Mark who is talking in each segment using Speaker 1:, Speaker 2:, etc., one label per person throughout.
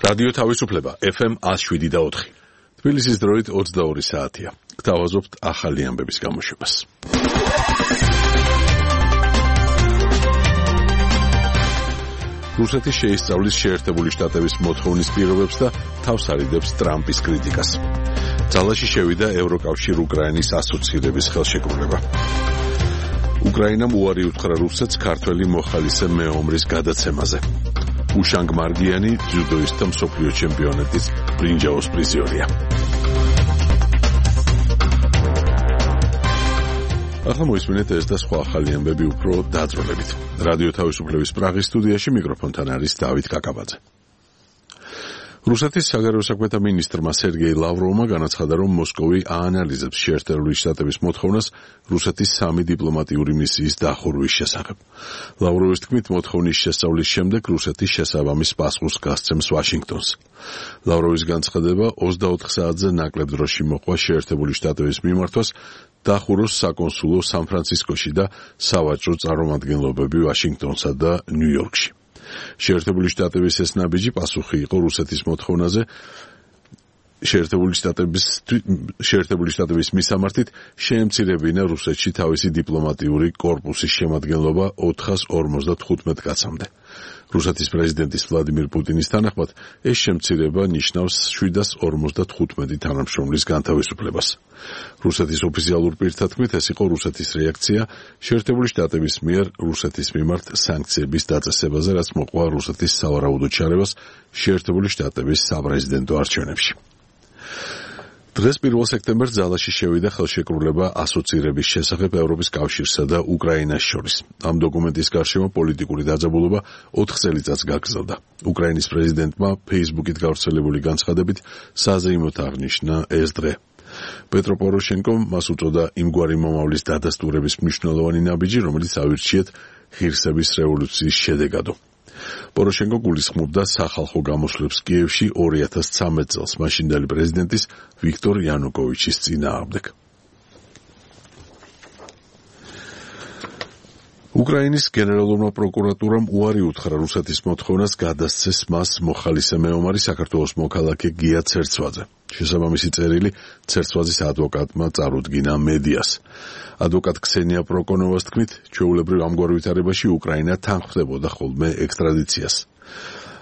Speaker 1: რადიო თავისუფლება FM 107.4. თბილისის დროით 22 საათია. გთავაზობთ ახალი ამბების გამოშვებას. რუსეთი შეისწავლის შეერთებული შტატების მოთხოვნის პირობებს და თავს არიდებს ტრამპის კრიტიკას. ძალაში შევიდა ევროკავშირ უკრაინის ასოცირების ხელშეკრულება. უკრაინამ უარი უთხრა რუსეთს ქართველი მოხალისე მეომრის გადაცემაზე. უშანგ მარგიანი ძიუდოისტთა მსოფლიო ჩემპიონატის ბრინჯაოს პრიზიორია. ახლა მოისმინეთ ეს და სხვა ახალი ამბები უფრო დაწვრილებით. რადიო თავისუფლების პრაღის სტუდიაში მიკროფონთან არის დავით კაკაბაძე. რუსეთის საგარეო საქმეთა მინისტრმა სერგეი ლავროვმა განაცხადა, რომ მოსკოვი აანალიზებს შეერთებული შტატების მოთხოვნას რუსეთის 3 დიპლომატიური მისიის დახურვის შესახებ. ლავროვის თქმით, მოთხოვნის შესწავლის შემდეგ რუსეთი შესაბამის პასუხს გასცემს ვაშინგტონს. ლავროვის განცხადება 24 საათზე ნაკლებ დროში მოყვა შეერთებული შტატების მიმართვას დახუროს საკონსულო სან-ფრანცისკოში და სავაჭრო წარმომადგენლობები ვაშინგტონსა და ნიუ-იორკში. შეერთებული შტატების ეს ნაბიჯი პასუხი იყო რუსეთის მოთხოვნაზე შეერთებული შტატების მისამართით შეემცირებინა რუსეთში თავისი დიპლომატიური კორპუსის შემადგენლობა 455 კაცამდე. რუსეთის პრეზიდენტის ვლადიმირ პუტინის თანახმად ეს შემცირება ნიშნავს 755 თანამშრომლის განთავისუფლებას. რუსეთის ოფიციალურ პირთა თქმით, ეს იყო რუსეთის რეაქცია შეერთებული შტატების მიერ რუსეთის მიმართ სანქციების დაწესებაზე, რაც მოყვა რუსეთის სავარაუდო ჩარევას შეერთებული შტატების საპრეზიდენტო არჩევნებში. დღეს 1 სექტემბერს ძალაში შევიდა ხელშეკრულება ასოცირების შესახებ ევროპის კავშირსა და უკრაინას შორის. ამ დოკუმენტის გარშემო პოლიტიკური დაძაბულობა 4 წელიწადს გაგრძელდა. უკრაინის პრეზიდენტმა Facebook-ით გავრცელებული განცხადებით საზეიმოდ აღნიშნა ეს დღე. პეტრო პოროშენკომ მას უწოდა იმგვარი მომავლის დადასტურების მნიშვნელოვანი ნაბიჯი, რომელიც ავირჩიეთ ღირსების რევოლუციის შედეგადო. პოროშენკო გულისხმობდა სახალხო გამოსვლებს კიევში 2013 წელს მაშინდელი პრეზიდენტის ვიქტორ იანუკოვიჩის წინააღმდეგ. უკრაინის გენერალურმა პროკურატურამ უარი უთხრა რუსეთის მოთხოვნას გადასცეს მას მოხალისე მეომარი საქართველოს მოქალაქე გია ცერცვაძე. შესაბამისი წერილი ცერცვაძის ადვოკატმა წარუდგინა მედიას. ადვოკატ ქსენია პროკონოვას თქმით, ჩვეულებრივ ამგვარ ვითარებაში უკრაინა თანხმდებოდა ხოლმე ექსტრადიციას.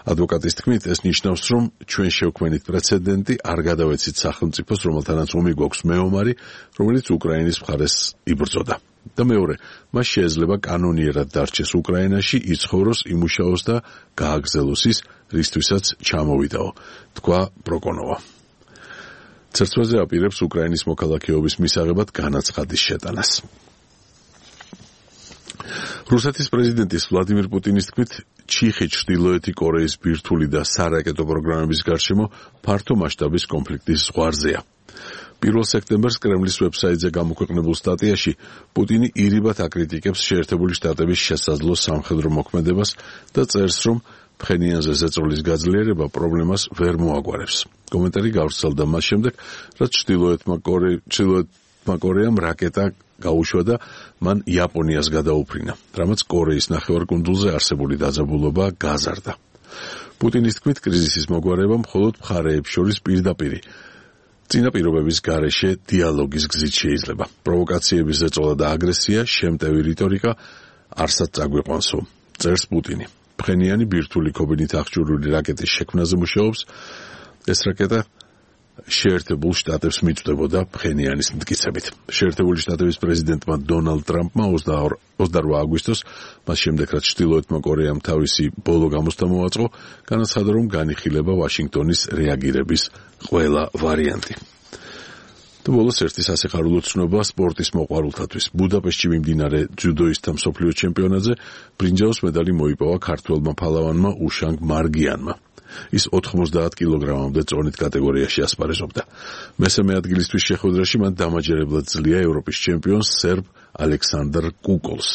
Speaker 1: ადვოკატის თქმით, ეს ნიშნავს, რომ ჩვენ შევქმნით პრეცედენტი, არ გადავეცით სახელმწიფოს, რომელთანაც ომი გვაქვს მეომარი, რომელიც უკრაინის მხარეს იბრძოდა. და მეორე, მას შეიძლება კანონიერად დარჩეს უკრაინაში, იცხოვროს, იმუშაოს და გააგრძელოს ის, რისთვისაც ჩამოვიდაო, თქვა პროკონოვა. ცერცვაძე აპირებს უკრაინის მოქალაქეობის მისაღებად განაცხადის შეტანას. რუსეთის პრეზიდენტის ვლადიმირ პუტინის თქმით, ჩიხი ჩრდილოეთი კორეის ბირთვული და სარაკეტო პროგრამების გარშემო ფართო მასშტაბის კონფლიქტის ზღვარზეა. 1 სექტემბერს კრემლის ვებსაიტზე გამოქვეყნებულ სტატიაში პუტინი ირიბად აკრიტიკებს შეერთებული შტატების შესაძლო სამხედრო მოქმედებას და წერს, რომ ფხენიანზე ზეწოლის გაძლიერება პრობლემას ვერ მოაგვარებს. კომენტარი გავრცელდა მას შემდეგ, რაც ჩრდილოეთმა კორეამ რაკეტა გაუშვა და მან იაპონიას გადაუფრინა, რამაც კორეის ნახევარკუნძულზე არსებული დაძაბულობა გაზარდა. პუტინის თქმით, კრიზისის მოგვარება მხოლოდ მხარეებს შორის პირდაპირი წინაპირობების გარეშე დიალოგის გზით შეიძლება. პროვოკაციების ზეწოლა და აგრესია, შემტევი რიტორიკა არსად წაგვიყვანსო, წერს პუტინი. ფხენიანი ბირთვული ქობინით აღჭურვილი რაკეტის შექმნაზე მუშაობს. ეს რაკეტა შეერთებულ შტატებს მიწვდებოდა ფხენიანის მტკიცებით. შეერთებული შტატების პრეზიდენტმა დონალდ ტრამპმა 28 აგვისტოს, მას შემდეგ რაც ჩრდილოეთმა კორეამ თავისი ბოლო გამოსთა მოაწყო, განაცხადა, რომ განიხილება ვაშინგტონის რეაგირების ყველა ვარიანტი. და ბოლოს ერთი სასიხარულო ცნობა სპორტის მოყვარულთათვის. ბუდაპეშტში მიმდინარე ძიუდოისტთა მსოფლიო ჩემპიონატზე ბრინჯაოს მედალი მოიპოვა ქართველმა ფალავანმა უშანგ მარგიანმა. ის 90 კილოგრამამდე წონით კატეგორიაში ასპარეზობდა. მესამე ადგილისთვის შეხვედრაში მან დამაჯერებლად ძლია ევროპის ჩემპიონს სერბ ალექსანდრ კუკოლს.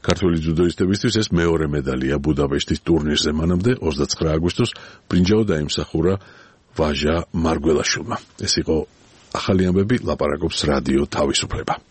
Speaker 1: ქართველი ძიუდოისტებისთვის ეს მეორე მედალია ბუდაპეშტის ტურნირზე. მანამდე 29 აგვისტოს ბრინჯაო დაიმსახურა ვაჟა მარგველაშვილმა. ეს იყო ახალი ამბები, ლაპარაკობს რადიო თავისუფლება.